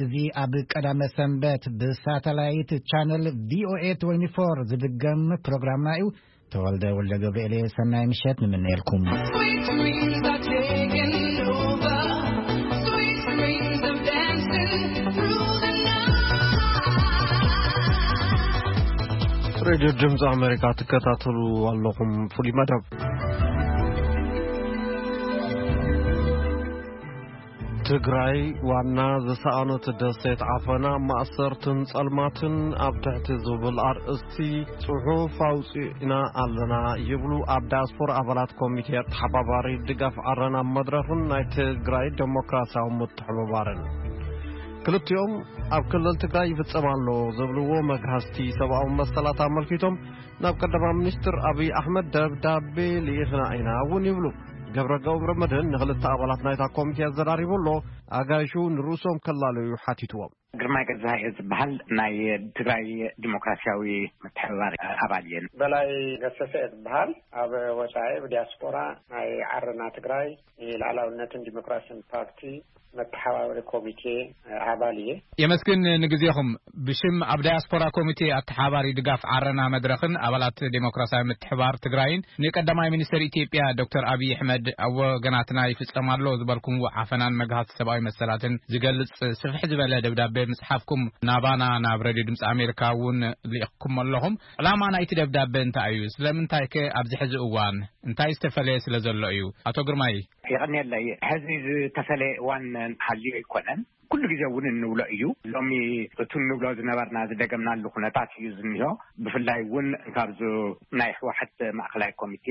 እዚ ኣብ ቀዳመ ሰንበት ብሳተላይት ቻነል ቪ ኦ ኤ ትዌንቲ ፎር ዝድገም ፕሮግራምና እዩ። ተወልደ ወልደ ገብርኤል፣ ሰናይ ምሸት ንምነየልኩም። Sweet dreams are taking over. Sweet dreams of dancing through the night. ሬድዮ ድምፂ ኣሜሪካ ትከታተሉ ኣለኹም። ፍሉይ መደብ። ትግራይ ዋና ዝሰኣኖት ደሴት ዓፈና ማእሰርትን ጸልማትን ኣብ ትሕቲ ዝብል ኣርእስቲ ጽሑፍ ኣውጺእና ኣለና ይብሉ ኣብ ዳያስፖራ ኣባላት ኮሚቴ ኣተሓባባሪ ድጋፍ ዓረና መድረኽን ናይ ትግራይ ዴሞክራሲያዊ ምትሕብባርን። ክልቲኦም ኣብ ክልል ትግራይ ይፍጸም ኣሎ ዝብልዎ መግሃስቲ ሰብኣዊ መሰላት ኣመልኪቶም ናብ ቀዳማይ ሚኒስትር ኣብይ ኣሕመድ ደብዳቤ ልኢኽና ኢና እውን ይብሉ። ገብረ ገብረ መድህን ንኽልተ ኣባላት ናይታ ኮሚቴ ኣዘራሪቡ ኣሎ። ኣጋይሹ ንርእሶም ከላለዩ ሓቲትዎም። ግርማይ ገዛኢ ዝበሃል ናይ ትግራይ ዲሞክራሲያዊ ምትሕብባር ኣባል እየ። በላይ ገሰሰ እየ ዝበሃል። ኣብ ወፃኢ ብዲያስፖራ ናይ ዓረና ትግራይ ንልኣላውነትን ዲሞክራሲን ፓርቲ መተሓባበሪ ኮሚቴ ኣባል እየ። የመስግን ንግዜኹም። ብሽም ኣብ ዳያስፖራ ኮሚቴ ኣተሓባሪ ድጋፍ ዓረና መድረኽን ኣባላት ዴሞክራሲያዊ ምትሕባር ትግራይን ንቀዳማይ ሚኒስትር ኢትዮጵያ ዶክተር ኣብይ ኣሕመድ ኣብ ወገናትና ይፍጸም ኣሎ ዝበልኩምዎ ዓፈናን መግሃስ ሰብኣዊ መሰላትን ዝገልጽ ስፍሕ ዝበለ ደብዳቤ ምጽሓፍኩም ናባና ናብ ሬድዮ ድምፂ ኣሜሪካ እውን ልኢኽኩም ኣለኹም። ዕላማ ናይቲ ደብዳቤ እንታይ እዩ? ስለምንታይ ከ ኣብዚ ሕዚ እዋን እንታይ ዝተፈለየ ስለ ዘሎ እዩ? ኣቶ ግርማይ። የቐንየለይ። ሕዚ ዝተፈለየ እዋን ሃልዩ ኣይኮነን። ኩሉ ግዜ እውን እንብሎ እዩ። ሎሚ እቲ እንብሎ ዝነበርና ዝደገምናሉ ኩነታት እዩ ዝኒሆ። ብፍላይ እውን ካብዚ ናይ ህወሓት ማእኸላይ ኮሚቴ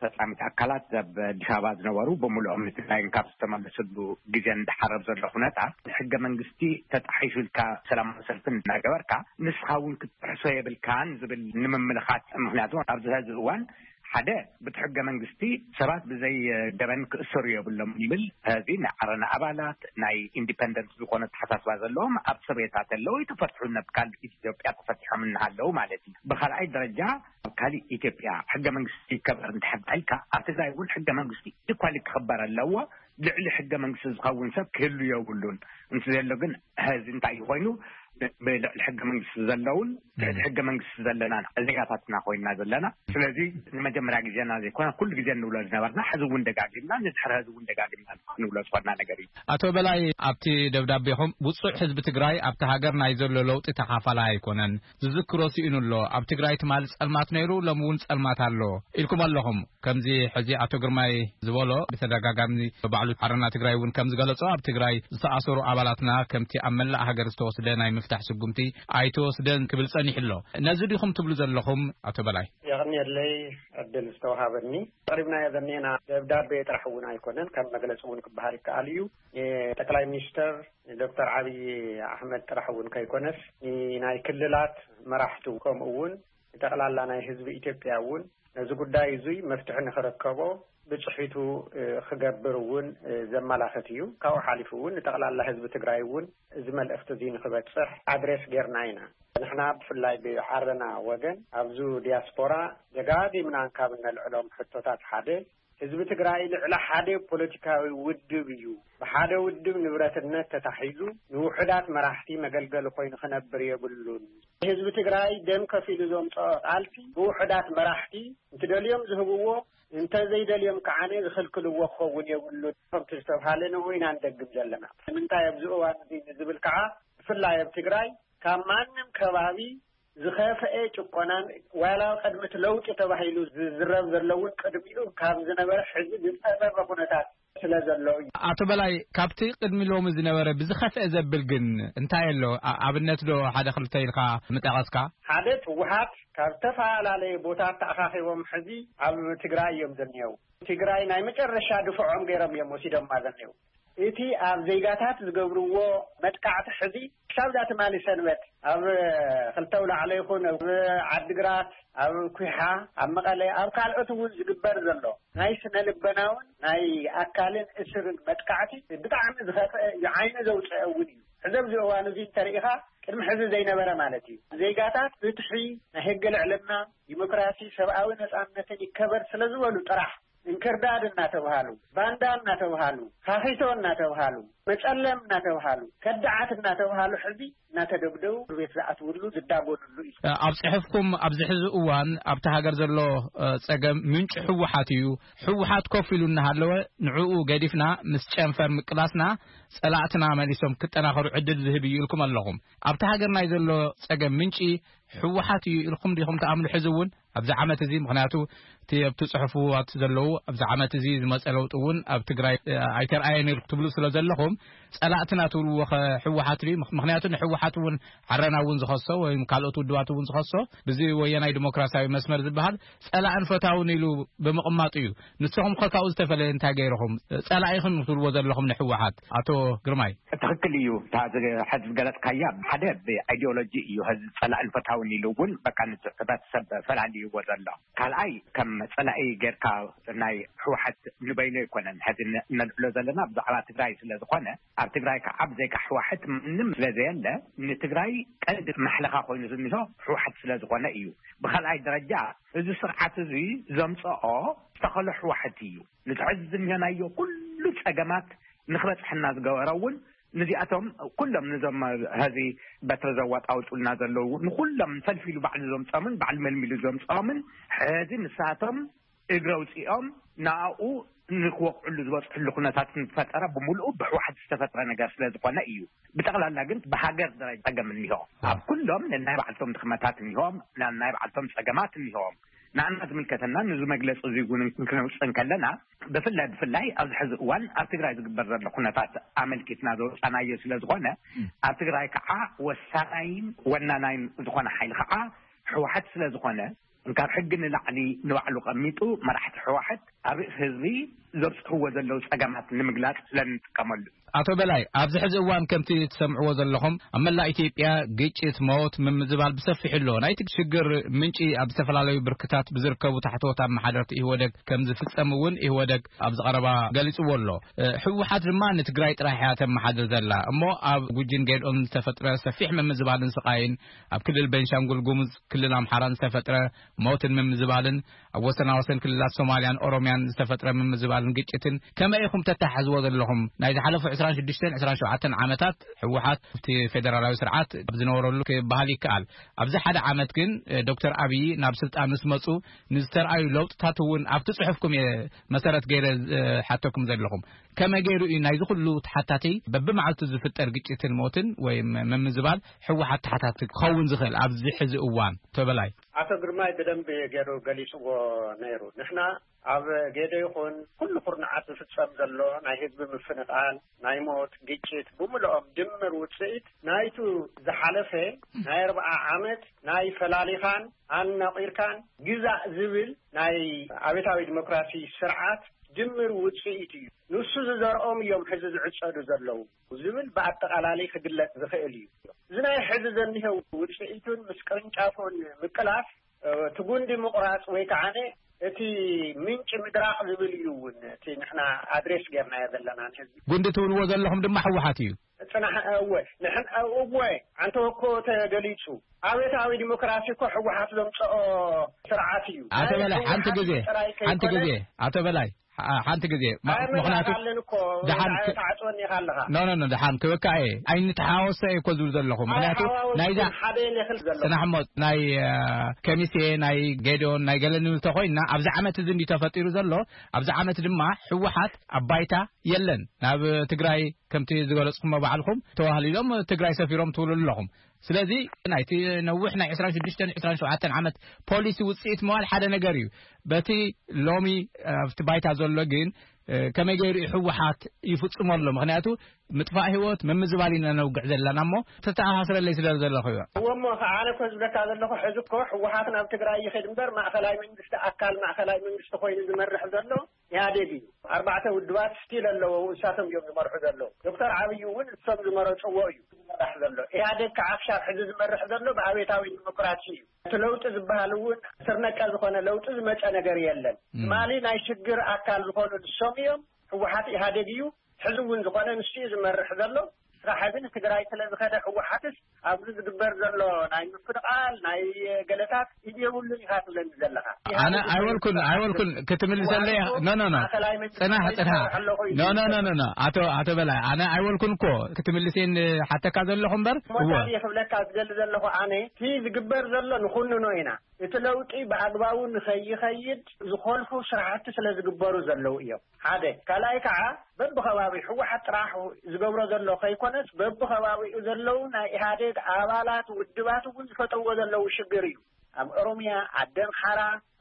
ፈፃሚት ኣካላት ኣብ ኣዲስ ኣበባ ዝነበሩ ብምልኦም ንትግራይ ካብ ዝተመለስሉ ግዜ እንዳሓረብ ዘሎ ኩነታት ሕገ መንግስቲ ተጣሒሱ ኢልካ ሰላማዊ ሰልፊ እናገበርካ ንስኻ እውን ክትጥሕሶ የብልካን ዝብል ንምምልኻት። ምክንያቱ ኣብዚ ሕዚ እዋን ሓደ ብቲ ሕገ መንግስቲ ሰባት ብዘይ ገበን ክእሰሩ የብሎም ይብል። እዚ ናይ ዓረና ኣባላት ናይ ኢንዲፐንደንት ዝኾነ ተሓሳስባ ዘለዎም ኣብ ሰቤታት ኣለዉ ይተፈትሑ ነብ ካልእ ኢትዮጵያ ተፈቲሖም እናሃለዉ ማለት እዩ። ብኻልኣይ ደረጃ ኣብ ካልእ ኢትዮጵያ ሕገ መንግስቲ ይከበር እንድሕር ኢልካ ኣብ ትግራይ እውን ሕገ መንግስቲ ኢኳሊ ክኽበር ኣለዎ። ልዕሊ ሕገ መንግስቲ ዝኸውን ሰብ ክህሉ የብሉን። እንተዘሎ ግን ሕዚ እንታይ እዩ ኮይኑ? ብልዕሊ ሕገ መንግስቲ ዘለውን ልዕሊ ሕገ መንግስቲ ዘለና ዜጋታትና ኮይና ዘለና። ስለዚ ንመጀመርያ ግዜና ዘይኮነ ኩሉ ግዜ እንብሎ ዝነበርና ሕዚ እውን ደጋጊምና ንድሕሪ ሕዚ እውን ደጋጊምና ክንብሎ ዝኾንና ነገር እዩ። ኣቶ በላይ ኣብቲ ደብዳቤኹም ውፁዕ ህዝቢ ትግራይ ኣብቲ ሃገር ናይ ዘሎ ለውጢ ተኻፋላይ ኣይኮነን። ዝዝክሮ ስኢኑ ኣሎ። ኣብ ትግራይ ትማሊ ጸልማት ነይሩ፣ ሎሚ እውን ጸልማት ኣሎ ኢልኩም ኣለኹም። ከምዚ ሕዚ ኣቶ ግርማይ ዝበሎ ብተደጋጋሚ ባዕሉ ዓረና ትግራይ እውን ከም ዝገለጾ ኣብ ትግራይ ዝተኣሰሩ ኣባላትና ከምቲ ኣብ መላእ ሃገር ዝተወስደ ናይ ምፍታሕ ስጉምቲ ኣይተወስደን ክብል ጸኒሑ ኣሎ። ነዚ ዲኹም ትብሉ ዘለኹም ኣቶ በላይ? የቐንየለይ ዕድል ዝተውሃበኒ። ኣቕሪብናዮ ዘኔና ደብዳቤ ጥራሕ እውን ኣይኮነን፣ ከም መግለፂ እውን ክበሃል ይከኣል እዩ። የጠቅላይ ሚኒስተር ዶክተር ዓብዪ ኣሕመድ ጥራሕ እውን ከይኮነስ ናይ ክልላት መራሕቱ ከምኡ እውን ንጠቕላላ ናይ ህዝቢ ኢትዮጵያ እውን ነዚ ጉዳይ እዙይ መፍትሒ ንኽረከቦ ብፅሒቱ ክገብር እውን ዘመላኽት እዩ። ካብኡ ሓሊፉ እውን ንጠቕላላ ህዝቢ ትግራይ እውን እዚ መልእኽቲ እዙይ ንኽበፅሕ ኣድሬስ ጌርና ኢና። ንሕና ብፍላይ ብዓረና ወገን ኣብዚ ዲያስፖራ ደጋጊምና ካብ እነልዕሎም ሕቶታት ሓደ ህዝቢ ትግራይ ልዕሊ ሓደ ፖለቲካዊ ውድብ እዩ። ብሓደ ውድብ ንብረትነት ተታሒዙ ንውሑዳት መራሕቲ መገልገሊ ኮይኑ ክነብር የብሉን። ህዝቢ ትግራይ ደም ከፊሉ ዘምፀኦ ቃልሲ ብውሑዳት መራሕቲ እንትደልዮም ዝህብዎ እንተዘይደልዮም ከዓነ ዝኽልክልዎ ክኸውን የብሉን። ከምቲ ዝተብሃለ ንኡ ኢና ንደግም ዘለና። ንምንታይ ኣብዚ እዋን እዚ ንዝብል ከዓ ብፍላይ ኣብ ትግራይ ካብ ማንም ከባቢ ዝኸፍአ ጭቆናን ዋላ ቅድሚ እቲ ለውጢ ተባሂሉ ዝዝረብ ዘሎ እውን ቅድሚኡ ካብ ዝነበረ ሕዚ ዝፀበበ ኩነታት ስለ ዘሎ እዩ። ኣቶ በላይ፣ ካብቲ ቅድሚ ሎሚ ዝነበረ ብዝኸፍአ ዘብል ግን እንታይ ኣሎ? ኣብነት ዶ ሓደ ክልተ ኢልካ ምጠቐስካ? ሓደ ህወሓት ካብ ዝተፈላለየ ቦታት ተኣኻኺቦም ሕዚ ኣብ ትግራይ እዮም ዘኒየው። ትግራይ ናይ መጨረሻ ድፍዖም ገይሮም እዮም ወሲዶማ ዘኒየው። እቲ ኣብ ዜጋታት ዝገብርዎ መጥቃዕቲ ሕዚ ክሳብ እዛ ትማሊ ሰንበት ኣብ ክልተ ኣውላዕሎ ይኹን ኣብ ዓድግራት፣ ኣብ ኩሓ፣ ኣብ መቐለ፣ ኣብ ካልኦት እውን ዝግበር ዘሎ ናይ ስነ ልቦናውን ናይ ኣካልን እስርን መጥቃዕቲ ብጣዕሚ ዝኸፍአ እዩ፣ ዓይኒ ዘውፅአ እውን እዩ። ሕዚ ኣብዚ እዋን እዚ እንተሪኢኻ ቅድሚ ሕዚ ዘይነበረ ማለት እዩ። ዜጋታት ፍትሒ፣ ናይ ሕጊ ልዕልና፣ ዲሞክራሲ፣ ሰብኣዊ ነፃነትን ይከበር ስለ ዝበሉ ጥራሕ እንክርዳድ እናተብሃሉ፣ ባንዳ እናተብሃሉ፣ ኻኺቶ እናተብሃሉ፣ መጸለም እናተብሃሉ፣ ከዳዓት እናተብሃሉ ሕዚ እናተደብደቡ ቤት ዝኣትውሉ ዝዳጎንሉ እዩ። ኣብ ጽሑፍኩም ኣብዚ ሕዚ እዋን ኣብቲ ሃገር ዘሎ ጸገም ምንጭ ህወሓት እዩ። ህወሓት ኮፍ ኢሉ እናሃለወ ንዕኡ ገዲፍና ምስ ጨንፈር ምቅላስና ጸላእትና መሊሶም ክጠናኸሩ ዕድል ዝህብ እዩ ኢልኩም ኣለኹም። ኣብቲ ሃገር ናይ ዘሎ ጸገም ምንጪ ህወሓት እዩ ኢልኩም ዲኹም ትኣምኑ? ሕዚ እውን ኣብዚ ዓመት እዚ፣ ምኽንያቱ እቲ ኣብቲ ጽሑፍዋት ዘለዉ ኣብዚ ዓመት እዚ ዝመጸ ለውጢ እውን ኣብ ትግራይ ኣይተርኣየን ኢልኩም ትብሉ ስለ ዘለኹም፣ ጸላእትና ትብልዎ ኸ ህወሓት ድዩ? ምኽንያቱ ንህወሓት እውን ዓረና እውን ዝኸሶ ወይም ካልኦት ውድባት እውን ዝኸሶ ብዚ ወያናይ ዲሞክራሲያዊ መስመር ዝበሃል ጸላእን ፈታውን ኢሉ ብምቕማጡ እዩ። ንስኹም ከ ካብኡ ዝተፈለየ እንታይ ገይርኹም? ጸላኢኹም ትብልዎ ዘለኹም ንህወሓት፣ ኣቶ ግርማይ። ትኽክል እዩ። እታ ዝ- ሕዚ ዝገለጽካያ ሓደ ብኣይዲዮሎጂ እዩ። ሕዚ ጸላእን ፈታውን ኢሉ እውን በቃ ንቲ ሕብረተሰብ ፈላልይዎ ዘሎ። ካልኣይ ከም ጸላኢ ጌርካ ናይ ህወሓት ንበይኑ ኣይኮነን ሕዚ ን- ነልዕሎ ዘለና ብዛዕባ ትግራይ ስለ ዝኾነ፣ ኣብ ትግራይ ከዓ ብዘይካ ህወሓት ምንም ስለ ዘየለ ንትግራይ ቀንዲ ማሕለኻ ኮይኑ ዝኒሆ ህወሓት ስለ ዝኾነ እዩ። ብኻልኣይ ደረጃ እዚ ስርዓት እዚ ዘምፀኦ ዝተኸሎ ህወሓት እዩ። ንትሕዚ ዝኒሀናዮ ኩሉ ፀገማት ንክበፅሐና ዝገበረ እውን ንዚኣቶም ኩሎም ንዞም ሀዚ በትሪ ዘዋጣውጡልና ዘለዉ ንኩሎም ሰልፊ ኢሉ ባዕሉ ዘምፀምን ባዕሉ መልሚሉ ዘምፀኦምን ሕዚ ንሳቶም እግረ ውፅኦም ንኣኡ ንክወቕዕሉ ዝበፅሕሉ ኩነታት ንፈጠረ ብምልኡ ብህወሓት ዝተፈጥረ ነገር ስለ ዝኾነ እዩ። ብጠቕላላ ግን ብሃገር ደረጃ ፀገም እኒሆ ኣብ ኩሎም ነናይ ባዕልቶም ድኽመታት እኒሆም፣ ነናይ ባዕልቶም ፀገማት እኒሆም። ንኣና ዝምልከተና ንዚ መግለፂ እዚ እውን ክንውፅእ እንከለና ብፍላይ ብፍላይ ኣብዚ ሕዚ እዋን ኣብ ትግራይ ዝግበር ዘሎ ኩነታት ኣመልኪትና ዘውፃናዮ ስለ ዝኾነ ኣብ ትግራይ ከዓ ወሳናይን ወናናይን ዝኾነ ሓይሊ ከዓ ህወሓት ስለ ዝኾነ ካብ ሕጊ ንላዕሊ ንባዕሉ ቀሚጡ መራሕቲ ህወሓት ኣብ ርእሲ ህዝቢ ዘብፅሕዎ ዘለዉ ፀገማት ንምግላፅ ስለ እንጥቀመሉ። ኣቶ በላይ፣ ኣብዚ ሕዚ እዋን ከምቲ ትሰምዕዎ ዘለኹም ኣብ መላእ ኢትዮጵያ ግጭት፣ ሞት፣ ምምዝባል ብሰፊሑ ኣሎ። ናይቲ ሽግር ምንጪ ኣብ ዝተፈላለዩ ብርክታት ብዝርከቡ ታሕተዎት ኣመሓደርቲ ኢህወደግ ከም ዝፍጸም እውን ኢህወደግ ኣብዚ ቀረባ ገሊጽዎ ኣሎ። ህወሓት ድማ ንትግራይ ጥራሕ እያ ተመሓድር ዘላ እሞ ኣብ ጉጂን ጌድኦን ዝተፈጥረ ሰፊሕ ምምዝባልን ስቓይን፣ ኣብ ክልል ቤንሻንጉል ጉሙዝ ክልል ኣምሓራን ዝተፈጥረ ሞትን ምምዝባልን፣ ኣብ ወሰናወሰን ክልላት ሶማልያን ኦሮምያን ዝተፈጥረ ምምዝባልን ግጭትን ከመይ ኢኹም ተተሓሕዝዎ ዘለኹም? ናይ ዝሓለፉ ዕስራን ሽዱሽተን ዕስራን ሸውዓተን ዓመታት ህወሓት ኣብቲ ፌደራላዊ ስርዓት ኣብ ዝነበረሉ ክበሃል ይከኣል። ኣብዚ ሓደ ዓመት ግን ዶክተር ኣብይ ናብ ስልጣን ምስ መፁ ንዝተርኣዩ ለውጥታት እውን ኣብቲ ፅሑፍኩም እየ መሰረት ገይረ ዝሓተኩም ዘለኹም። ከመይ ገይሩ እዩ ናይዚ ኩሉ ተሓታቲ በብመዓልቱ ዝፍጠር ግጭትን ሞትን ወይ ምምዝባል ህወሓት ተሓታቲ ክኸውን ዝኽእል ኣብዚ ሕዚ እዋን? ተበላይ። ኣቶ ግርማይ ብደንቢ ገይሩ ገሊጽዎ ነይሩ። ንሕና ኣብ ጌዶ ይኹን ኩሉ ኩርናዓት ዝፍጸም ዘሎ ናይ ህዝቢ ምፍንቓል፣ ናይ ሞት፣ ግጭት ብምልኦም ድምር ውጽኢት ናይቱ ዝሓለፈ ናይ ኣርብዓ ዓመት ናይ ፈላሊኻን ኣናቒርካን ግዛእ ዝብል ናይ ኣብዮታዊ ዲሞክራሲ ስርዓት ድምር ውጽኢት እዩ። ንሱ ዝዘርኦም እዮም ሕዚ ዝዕጸዱ ዘለዉ ዝብል ብኣጠቓላሊ ክግለጽ ዝኽእል እዩ። እዚ ናይ ሕዚ ዘኒሀው ውጽኢቱን ምስ ቅርንጫፉን ምቅላፍ፣ እቲ ጉንዲ ምቑራጽ ወይ ከዓነ እቲ ምንጪ ምድራቕ ዝብል እዩ እውን እቲ ንሕና ኣድሬስ ጌርናዮ ዘለና ንህዝቢ። ጉንዲ ትብልዎ ዘለኹም ድማ ህወሓት እዩ። ጽናሕ፣ እወ፣ ንሕን፣ እወ፣ ኣንተ እኮ ተገሊጹ። ኣብዮታዊ ዲሞክራሲ እኮ ህወሓት ዘምጽኦ ስርዓት እዩ። ኣቶ ናይ በላይ፣ ሓንቲ ህወሓት ግዜ፣ ጥራይ ሓንቲ ከይኮነ ግዜ፣ ኣቶ በላይ፣ ሓ-፣ ሓንቲ ግዜ፣ ማ-፣ ኣይ፣ ምኽንያቱ መብዛሕትኣለን እኮ ደሓን ዳ-፣ ክ-፣ ተዓጽወኒ ኢኻ ኣለኻ። ኖ፣ ኖ፣ ኖ፣ ደሓን ክበካ እየ። ኣይንተሓዋወሶ እየ እኮ ዝብል ዘለኹ። ምኽንያቱ ኣይሓዋወስኩን፣ ናይዛ ሓደ እየ ዝብል ዘለኹ። ጽናሕ እሞ፣ ናይ፣ እ፣ ከሚሴ፣ ናይ ጌዲዮን፣ ናይ ገለ ንብል ተኾይንና፣ ኣብዚ ዓመት እዚ እንዲ ተፈጢሩ ዘሎ፣ ኣብዚ ዓመት ድማ ህወሓት ኣብ ባይታ የለን። ናብ ትግራይ ከምቲ ዝገለጽኩሞ ባዕልኹም ተዋህሊሎም ትግራይ ሰፊሮም ትብሉ ኣለኹም። ስለዚ ናይቲ ነዊሕ ናይ ዕስራን ሽዱሽተን ዕስራን ሸውዓተን ዓመት ፖሊሲ ውጽኢት ምባል ሓደ ነገር እዩ። በቲ ሎሚ ኣብቲ ባይታ ዘሎ ግን፣ እ፣ ከመይ ገይሩ እዩ ህወሓት ይፍጽሞ ኣሎ? ምኽንያቱ ምጥፋእ ህይወት፣ ምምዝባል ኢና ነውግዕ ዘለና እሞ ተተኣሳስረለይ ስለ ዘለኹ እዩ። እወ እሞ፣ ከ-፣ ኣነ እኮ ዝብለካ ዘለኹ፣ ሕዚ እኮ ህወሓት ናብ ትግራይ ይኸድ እምበር፣ ማእኸላይ መንግስቲ፣ ኣካል ማእኸላይ መንግስቲ ኮይኑ ዝመርሕ ዘሎ ኢህኣዴግ እዩ። ኣርባዕተ ውድባት ስቲል ኣለዎ፣ እሳቶም እዮም ዝመርሑ ዘለዉ። ዶክተር ዓብዪ እውን እሶም ዝመረፅዎ እዩ ዝመራሕ ዘሎ። ኢህኣዴግ ከዓ ክሻብ ሕዚ ዝመርሕ ዘሎ ብኣብዮታዊ ዲሞክራሲ እዩ። እቲ ለውጢ ዝበሃል እውን ስር ነቀል ዝኾነ ለውጢ ዝመፀ ነገር የለን። እም። ትማሊ ናይ ሽግር ኣካል ዝኾኑ ንሶም እዮም። ህወሓት ኢህኣዴግ እዩ። ሕዚ እውን ዝኾነ ንሱ እዩ ዝመርሕ ዘሎ። ስራሕ ግን ትግራይ ስለ ዝኸደ ህወሓትስ ኣብዚ ዝግበር ዘሎ ናይ ምፍ ቃል ናይ ገለታት ኢድ የብሉን ኢኻ ትብለኒ ዘለኻ። ኣነ ኣይወልኩን ኣይወልኩን ክትምልሰለይ። ኖ ኖ ኖ፣ ማእኸላይ መንግስቲ ጽናሕ ጽናሕ። ኣለኹ ኢሉ ኖ ኖ ኖ ኖ ኖ፣ ኣቶ ኣቶ በላይ፣ ኣነ ኣይወልኩን እኮ ክትምልሴን ሓተካ ዘለኹ እምበር። እሞ እወ። ታዲያ ክብለካ ዝደሊ ዘለኹ ኣነ፣ እቲ ዝግበር ዘሎ ንኹንኖ ኢና። እቲ ለውጢ ብኣግባቡ ንኸይኸይድ ዝኾልፉ ስራሕቲ ስለ ዝግበሩ ዘለዉ እዮም። ሓደ። ካልኣይ ከዓ በብኸባቢ ህወሓት ጥራሕ ዝገብሮ ዘሎ ከይኮነስ፣ በብኸባቢኡ ዘለዉ ናይ ኢህኣዴግ ኣባላት ውድባት እውን ዝፈጠርዎ ዘለዉ ሽግር እዩ። ኣብ ኦሮሚያ፣ ዓዲ ኣምሓራ፣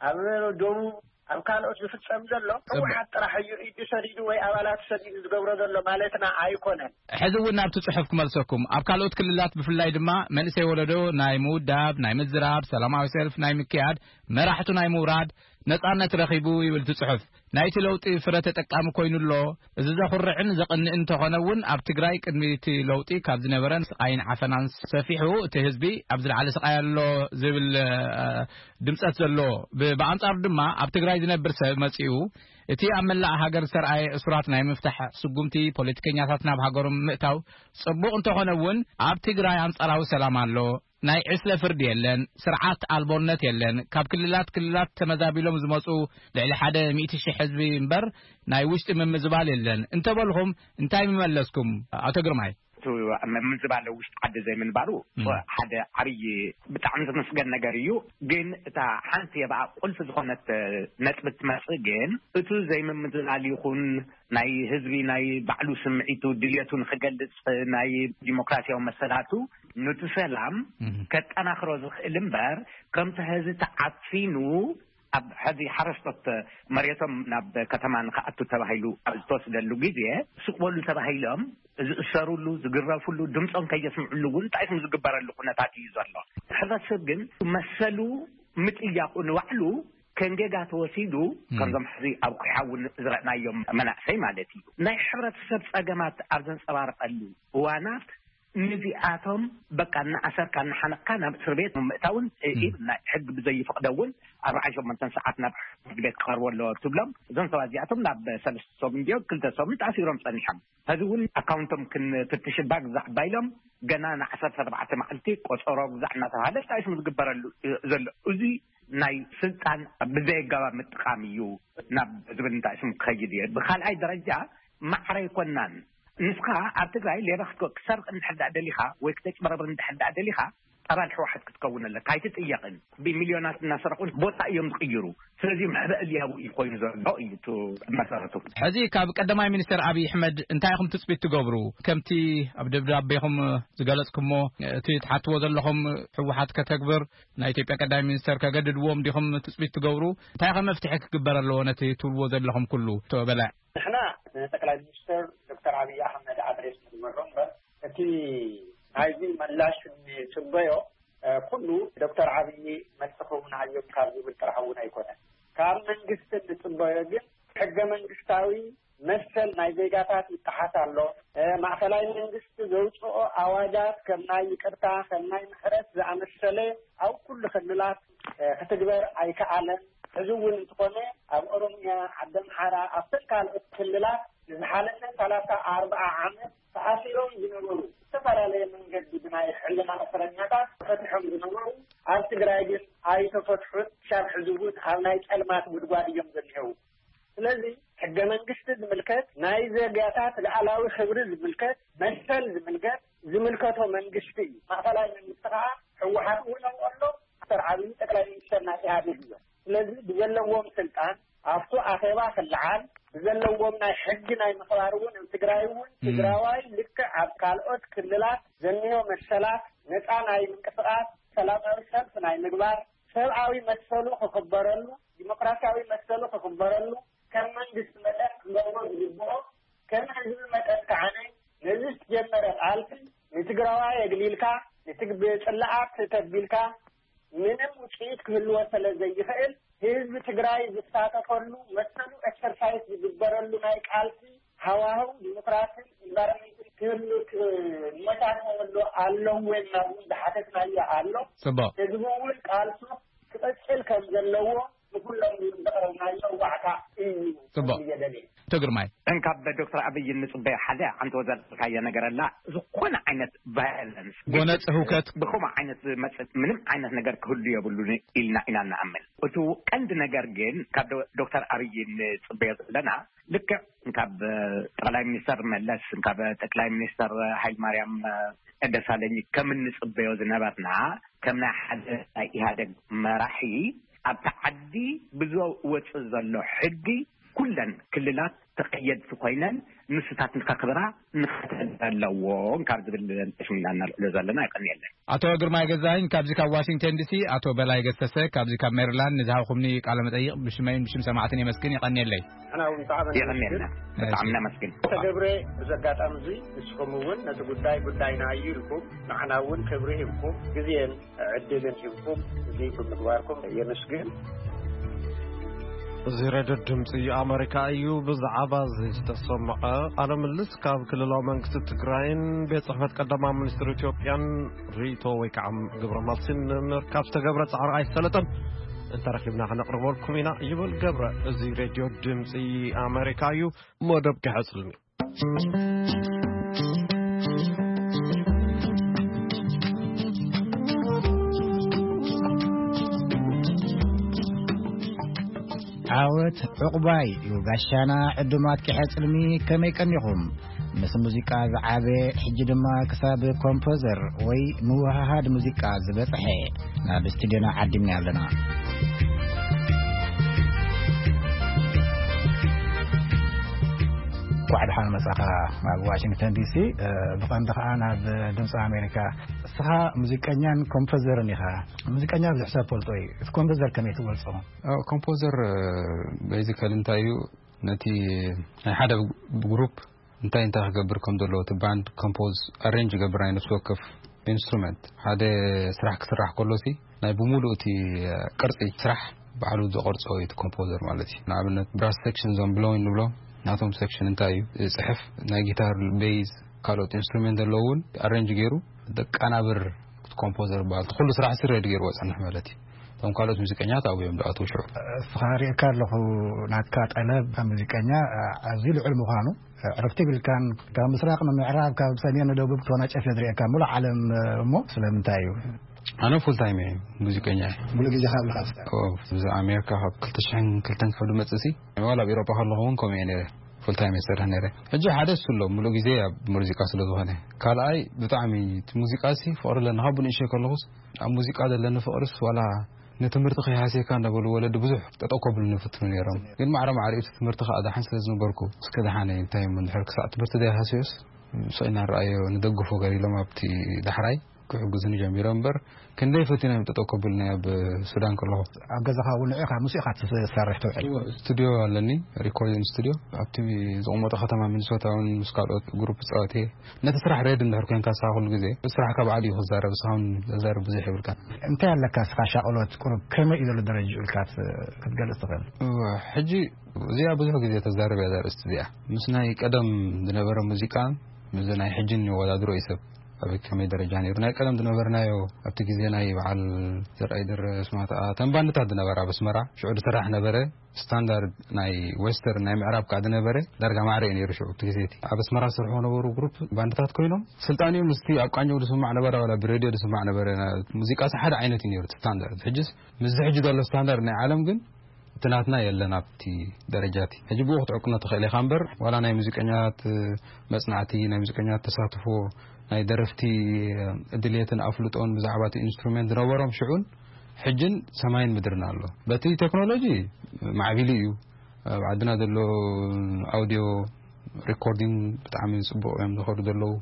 ኣብ ደቡብ፣ ኣብ ካልኦት ዝፍጸም ዘሎ ጽቡቕ። ህወሓት ጥራሕ እዩ ኢዱ ሰዲዱ ወይ ኣባላት ሰዲዱ ዝገብሮ ዘሎ ማለትና ኣይኮነን። ሕዚ እውን ናብቲ ጽሑፍ ክመልሰኩም። ኣብ ካልኦት ክልላት ብፍላይ ድማ መንእሰይ ወለዶ ናይ ምውዳብ፣ ናይ ምዝራብ፣ ሰላማዊ ሰልፍ ናይ ምክያድ፣ መራሕቱ ናይ ምውራድ ነጻነት ረኺቡ ይብል እቲ ጽሑፍ። ናይቲ ለውጢ ፍረ ተጠቃሚ ኮይኑ ኣሎ። እዚ ዘኹርዕን ዘቕንእን እንተኾነ እውን፣ ኣብ ትግራይ ቅድሚ እቲ ለውጢ ካብ ዝነበረን ስቓይን ዓፈናን ሰፊሑ፣ እቲ ህዝቢ ኣብ ዝለዓለ ስቓይ ኣሎ ዝብል፣ እ፣ ድምጸት ዘሎ። ብ-፣ ብኣንጻሩ ድማ ኣብ ትግራይ ዝነብር ሰብ መጺኡ፣ እቲ ኣብ መላእ ሃገር ዝተርኣየ እሱራት ናይ ምፍታሕ ስጉምቲ፣ ፖለቲከኛታት ናብ ሃገሮም ምእታው ጽቡቕ እንተኾነ እውን፣ ኣብ ትግራይ ኣንጻራዊ ሰላም ኣሎ። ናይ ዕስለ ፍርዲ የለን፣ ስርዓት ኣልቦነት የለን። ካብ ክልላት ክልላት ተመዛቢሎም ዝመጹ ልዕሊ ሓደ ሚእቲ ሺሕ ህዝቢ እምበር፣ ናይ ውሽጢ ምምዝባል የለን እንተበልኹም፣ እንታይ ምመለስኩም? ኣቶ ግርማይ። እቲ ምምዝባል ውሽጢ ዓዲ ዘይምንባሩ እም። ሓደ ዓብዪ፣ ብጣዕሚ ዝምስገን ነገር እዩ። ግን እታ ሓንቲ የብኣ ቁልፊ ዝኾነት ነጥቢ ትመጽእ ግን፣ እቲ ዘይምምዝባል ይኹን ናይ ህዝቢ ናይ ባዕሉ ስምዒቱ ድልየቱ ንኽገልጽ ናይ ዲሞክራሲያዊ መሰላቱ፣ ነቲ ሰላም እም። ከጠናኽሮ ዝኽእል እምበር፣ ከምቲ ሕዚ ተዓፊኑ ኣብ ሕዚ ሓረስቶት መሬቶም ናብ ከተማ ንኽኣቱ ተባሂሉ ኣብ ዝተወስደሉ ግዜ፣ ስቕ በሉ ተባሂሎም ዝእሰሩሉ፣ ዝግረፉሉ፣ ድምፆም ከየስምዕሉ እውን እንታይ ዝግበረሉ ኩነታት እዩ ዘሎ። ሕብረተሰብ ግን መሰሉ ምጥያቑ ንባዕሉ ከም ጌጋ ተወሲዱ፣ እም። ከምዞም ሕዚ ኣብ ኩሓ እውን ዝረእናዮም መናእሰይ ማለት እዩ። ናይ ሕብረተሰብ ጸገማት ኣብ ዘንጸባርቐሉ እዋናት፣ ንዚኣቶም በቃ እናኣሰርካ እናሓነቕካ ናብ እስር ቤት ምእታውን፣ እ፣ እም። ናይ ሕጊ ብዘይፍቕዶ እውን ኣርባዓን ሸሞንተን ሰዓት ናብ ፍርዲ ቤት ክቐርቡ ኣለዎ ትብሎም። እዞም ሰባት እዚኣቶም ናብ ሰለስተ ሰሙን ድዮም ክልተ ሰሙን ተኣሲሮም ጸኒሖም። ሕዚ እውን ኣካውንቶም ክንፍትሽ እባ ግዛዕ እባ ኢሎም፣ ገና ንዓሰርተ ኣርባዕተ መዓልቲ ቆጸሮ ግዛዕ እናተባሃለ እንታይ ስም ዝግበረሉ ዘሎ? እዚ ናይ ስልጣን ብዘየጋባብ ምጥቃም እዩ ናብ ዝብል እንታይ ስም ክኸይድ እየ። ብኻልኣይ ደረጃ ማዕረ ኣይኮናን። ንስኻ ኣብ ትግራይ ሌባ ክትኮ-፣ ክትሰርቕ እንድሕር ደኣ ደሊኻ ወይ ክተጭበረብር እንድሕር ደኣ ደሊኻ ኣባል ህወሓት ክትከውን ኣለካ። ኣይትጥየቕን። ብሚልዮናት እናሰረቑን ቦታ እዮም ዝቕይሩ። ስለዚ መዕበ እልያዊ እዩ ኮይኑ ዘሎ እዩ እቲ መሰረቱ። ሕዚ ካብ ቀዳማይ ሚኒስትር ኣብይ ኣሕመድ እንታይ ኢኹም ትጽቢት ትገብሩ? ከምቲ ኣብ ደብዳቤኹም ዝገለጽኩሞ፣ እቲ ትሓትዎ ዘለኹም ህወሓት ከተግብር፣ ናይ ኢትዮጵያ ቀዳማይ ሚኒስተር ከገድድዎም ዲኹም ትጽቢት ትገብሩ? እንታይ ከ መፍትሒ ክግበር ኣለዎ ነቲ ትብልዎ ዘለኹም ኩሉ? ኣቶ በላይ። ንሕና ንጠቅላይ ሚኒስትር ዶክተር ኣብይ ኣሕመድ ኣድሬስ ንግበሮ እምበር፣ እቲ ናይዚ ምላሽ ንጽበዮ፣ እ፣ ኩሉ ዶክተር ኣብይ መልሲ ክህቡና እዮም ካብ ዝብል ጥራሕ እውን ኣይኮነን። ካብ መንግስቲ ንጽበዮ ግን ሕገ መንግስታዊ መሰል ናይ ዜጋታት ይጠሓስ ኣሎ። እ፣ ማእኸላይ መንግስቲ ዘውፅኦ ኣዋጃት ከም ናይ ይቅርታ፣ ከም ናይ ምሕረት ዝኣመሰለ ኣብ ኩሉ ክልላት፣ እ፣ ክትግበር ኣይከኣለን። ሕዚ እውን እንተኾነ ኣብ ኦሮሚያ፣ ዓዲ ኣምሓራ፣ ኣብተን ካልኦት ክልላት ንዝሓለፈ ሰላሳ ኣርብዓ ዓመት ተኣሲሮም ዝነበሩ፣ ዝተፈላለየ መንገዲ ብናይ ሕልና እስረኛታት ተፈቲሖም ዝነበሩ፣ ኣብ ትግራይ ግን ኣይተፈትሑን። ክሳብ ሕዚ እውን ኣብ ናይ ጸልማት ጉድጓድ እዮም ዘለዉ። ስለዚ ሕገ መንግስቲ ዝምልከት፣ ናይ ዜጋታት ልኣላዊ ክብሪ ዝምልከት፣ መሰል ዝምልከት፣ ዝምልከቶ መንግስቲ እዩ። ማእኸላይ መንግስቲ ከዓ ህወሓት እውን ኣብኡ ኣሎ። ዶክተር ኣብይ ጠቅላይ ሚኒስተር ናይ ኢህኣዴግ እዮም። ስለዚ ብዘለዎም ስልጣን ኣብቱ ኣኼባ ክለዓል፣ ብዘለዎም ናይ ሕጊ ናይ ምኽባር እውን ኣብ ትግራይ እውን እም። ትግራዋይ ልክዕ ኣብ ካልኦት ክልላት ዘንዮ መሰላት፣ ነፃ ናይ ምንቅስቃስ፣ ሰላማዊ ሰልፍ ናይ ምግባር፣ ሰብኣዊ መሰሉ ክኽበረሉ፣ ዲሞክራሲያዊ መሰሉ ክኽበረሉ፣ ከም መንግስቲ መጠን ክገብሮ ዝግብኦ፣ ከም ህዝቢ መጠን ከዓ ነዚ ዝተጀመረ ቃልሲ ንትግራዋይ የግሊልካ፣ ንትግ-፣ ብጽላኣት ተቢልካ ምንም ውጽኢት ክህልዎ ስለ ዘይኽእል፣ ህዝቢ ትግራይ ዝሳተፈሉ፣ መሰሉ ኤክሰርሳይዝ ዝግበረሉ ናይ ቃልሲ ሃዋህው ዲሞክራሲን ኢንቫይሮንመንትን ክህሉ ክ-፣ መቻል ክህሉ ኣለዎ ኢልና እውን ዝሓተትናዮ ኣሎ። ጽቡቕ። ህዝቢ እውን ቃልሱ ክቕጽል ከም ዘለዎ ንኩሎም እውን ዘቕረብናዮ ዋዕታ እዩ ጽቡቕ። ክብል እየ ደልየ። ኣቶ ግርማይ። እንካብ ዶክተር ኣብይ እንጽበዮ ሓደ፣ ሓንቲ ወዘልካዮ ነገር ኣላ። ዝኾነ ዓይነት ቫዮለንስ፣ ጎነጽ ህውከት። ብኸምኡ ዓይነት ዝመጽእ ምንም ዓይነት ነገር ክህሉ የብሉን ኢልና ኢና ንኣምን። እቲ ቀንዲ ነገር ግን ካብ ዶ-፣ ዶክተር ኣብይ እንጽበዮ ዘለና፣ ልክዕ ካብ ጠቕላይ ሚኒስተር መለስ፣ ካብ ጠቅላይ ሚኒስተር ሃይለማርያም ደሳለኝ ከም እንጽበዮ ዝነበርና፣ ከም ናይ ሓደ ናይ ኢህኣደግ መራሒ፣ ኣብታ ዓዲ ብዝወጽእ ዘሎ ሕጊ ኩለን ክልላት ተቐየድቲ ኮይነን ንስታት ንኸኽብራ ንኸተግብራ ኣለዎን ካብ ዝብል ተሽሚና እናልዕሎ ዘለና። ይቀንየለን። ኣቶ ግርማይ ገዛኸኝ ካብዚ ካብ ዋሽንግተን ዲሲ፣ ኣቶ በላይ ገሰሰ ካብዚ ካብ ሜሪላንድ ንዝሃብኩምኒ ቃለ መጠይቕ ብሽመይን ብሽም ሰማዕትን የመስግን። ይቀንየለይ። ንሕና እውን ብጣዕሚ የቐንየልና። ነመስግን። ብጣዕሚ ነመስግን። ተገብረ፣ እዚ ኣጋጣሚ እዚ ንስኹም እውን ነቲ ጉዳይ ጉዳይና እዩ ኢልኩም፣ ንዓና እውን ክብሪ ሂብኩም፣ ግዜን ዕድልን ሂብኩም፣ እዚ ብምግባርኩም የመስግን። እዚ ሬድዮ ድምፂ ኣሜሪካ እዩ። ብዛዕባ እዚ ዝተሰምዐ ቃለ ምልልስ ካብ ክልላዊ መንግስቲ ትግራይን ቤት ጽሕፈት ቀዳማይ ሚኒስትር ኢትዮጵያን ርእይቶ ወይ ከዓ ግብረ መልሲ ንምርካብ ዝተገብረ ጻዕሪ ኣይሰለጠን። እንተረኺብና ከነቕርበልኩም ኢና ይብል ገብረ። እዚ ሬድዮ ድምፂ ኣሜሪካ እዩ። መደብ ክሕጽልኒ። ዓወት ዕቑባይ እዩ ጋሻና። ዕዱማት ኪሐ ጽልሚ ከመይ ቀኒኹም? ምስ ሙዚቃ ዝዓበ፣ ሕጂ ድማ ክሳብ ኮምፖዘር ወይ ምውህሃድ ሙዚቃ ዝበጽሐ ናብ ስቱድዮና ዓዲምና ኣለና። እንኳዕ ደሓን መጻኻ ናብ ዋሽንግተን ዲሲ። እ፣ ብቐንዱ ኸኣ ናብ ድምፂ ኣሜሪካ። እስኻ ሙዚቀኛን ኮምፖዘርን ኢኻ። ሙዚቀኛ ብዙሕ ሰብ ፈልጦ እዩ። እቲ ኮምፖዘር ከመይ ትገልጾ? ኣዎ፣ ኮምፖዘር፣ እ፣ ቤዚካሊ እንታይ እዩ? ነቲ ናይ ሓደ ግሩፕ እንታይ እንታይ ክገብር ከም ዘለዎ፣ እቲ ባንድ ኮምፖዝ፣ ኣሬንጅ ይገብር፣ ናይ ነፍሲ ወከፍ ኢንስትሩመንት። ሓደ ስራሕ ክስራሕ ከሎ ሲ ናይ ብምሉእ እቲ ቅርጺ ስራሕ ባዕሉ ዝቐርጾ እዩ እቲ ኮምፖዘር ማለት እዩ። ንኣብነት ብራስ ሴክሽን እዞም ብሎዊን ንብሎ፣ ናቶም ሴክሽን እንታይ እዩ ዝጽሕፍ፣ ናይ ጊታር፣ ቤዝ፣ ካልኦት ኢንስትሩመንት ዘለዉ እውን ኣሬንጅ ገይሩ ዘቀናብር ኮምፖዘር ይበሃል። እቲ ኩሉ ስራሕ ሲ ሬዲ ገይርዎ ጸንሕ ማለት እዩ። እቶም ካልኦት ሙዚቀኛታት ኣብኡ እዮም ዝኣትዉ ሽዑ። እስኻ ሪእካ ኣለኹ፣ ናትካ ጠለብ ከም ሙዚቀኛ ኣዝዩ ልዑል ምዃኑ፣ ዕረፍቲ ይብልካን፣ ካብ ምስራቕ ንምዕራብ፣ ካብ ሰሜን ንደቡብ ክትወናጨፍ እየ ዝርእየካ፣ ሙሉእ ዓለም እሞ ስለምንታይ እዩ? ኣነ ፉል ታይም እየ ሙዚቀኛ እየ። ሙሉእ ግዜኻ ኣብልኻ ትሰርሕ? ኦ፣ እዚ ኣሜሪካ ካብ ክልተ ሽሕን ክልተን ክሳብ ዝመጽእ ሲ፣ ዋላ ኣብ ኤውሮጳ ከለኹ እውን ከምኡ እየ ነይረ። ፉል ታይም እየ ዝሰርሕ ነይረ። ሕጂ ሓደ እሱ ኣሎ፣ ሙሉእ ግዜ ኣብ ሙዚቃ ስለ ዝኾነ። ካልኣይ ብጣዕሚ እቲ ሙዚቃ ሲ ፍቕሪ ኣለኒ። ካብ ብንእሽተይ ከለኹስ ኣብ ሙዚቃ ዘለኒ ፍቕርስ ዋላ ንትምህርቲ ከይሃስየካ እንዳበሉ ወለዲ ብዙሕ ጠጠው ከብሉኒ ይፍትኑ ነይሮም። ግን ማዕረ ማዕሪኡ እቲ ትምህርቲ ከዓ ደሓን ስለ ዝነበርኩ፣ እስከ ደሓን እንታይ እሞ እንድሕር ክሳዕ ትምህርቲ ዘይሃስዮስ ስቕ ኢልና ንረኣዮ ንደግፎ ገር ኢሎም ኣብቲ ዳሕራይ ክሕግዙኒ ጀሚሮም እምበር፣ ክንደይ ፈቲኖም እዮም ጠጠው ከብሉኒ ኣብ ሱዳን ከለኹ። ኣብ ገዛኻ እውን ንዕኻ ምስ ኢኻ ትሰርሕ ትውዕል? እወ፣ ስቱድዮ ኣለኒ፣ ሪኮርዲንግ ስቱድዮ። ኣብቲ ዝቕመጦ ከተማ ሚኒሶታ እውን ምስ ካልኦት ግሩፕ ጻወት እየ። ነቲ ስራሕ ሬድ እንድሕር ኮንካ ንስኻ ኩሉ ግዜ ስራሕካ ባዕሉ እዩ ክዛረብ፣ ንስኻ እውን ዘዛርብ ብዙሕ የብልካን። እንታይ ኣለካ ንስኻ ሻቕሎት ቁሩብ ከመይ እዩ ዘሎ ደረጃ ኢልካ ት-፣ ክትገልጽ ትኽእል? እወ፣ ሕጂ እዚኣ ብዙሕ ግዜ ተዛርብ እያ እዛ ኣርእስቲ እዚኣ። ምስ ናይ ቀደም ዝነበረ ሙዚቃ ምስ ናይ ሕጂ ንወዳድሮ እዩ ሰብ ኣበይ ከመይ ደረጃ ነይሩ። ናይ ቀደም ዝነበርናዮ ኣብቲ ግዜ ናይ በዓል ዘርኣይ ደረስ ማተኣ እተን ባንድታት ዝነበራ ኣብ ኣስመራ ሽዑ ዝስራሕ ነበረ። ስታንዳርድ ናይ ዌስተርን ናይ ምዕራብ ከዓ ዝነበረ ዳርጋ ማዕረ እዩ ነይሩ ሽዑ እቲ ግዜ እቲ። ኣብ ኣስመራ ዝሰርሑ ነበሩ ግሩፕ ባንድታት ኮይኖም ስልጣንኡ ምስቲ ኣብ ቃኘው ዝስማዕ ነበረ ዋላ ብሬድዮ ዝስማዕ ነበረ። ሙዚቃ ሓደ ዓይነት እዩ ነይሩ እቲ ስታንዳርድ። ሕጅስ ምስዚ ሕጂ ዘሎ ስታንዳርድ ናይ ዓለም ግን እቲ ናትና የለን ኣብቲ ደረጃ እቲ። ሕጂ ብኡ ክትዕቅኖ ትኽእል ኢኻ እምበር ዋላ ናይ ሙዚቀኛታት መጽናዕቲ፣ ናይ ሙዚቀኛታት ተሳትፎ፣ ናይ ደረፍቲ ድልየትን ኣፍልጦን ብዛዕባ እቲ ኢንስትሩሜንት ዝነበሮም ሽዑን ሕጅን ሰማይን ምድርን ኣሎ። በቲ ቴክኖሎጂ ማዕቢሊ እዩ። ኣብ ዓድና ዘሎ ኣውዲዮ ሪኮርዲንግ ብጣዕሚ ጽቡቕ እዮም ዝኸዱ ዘለዉ።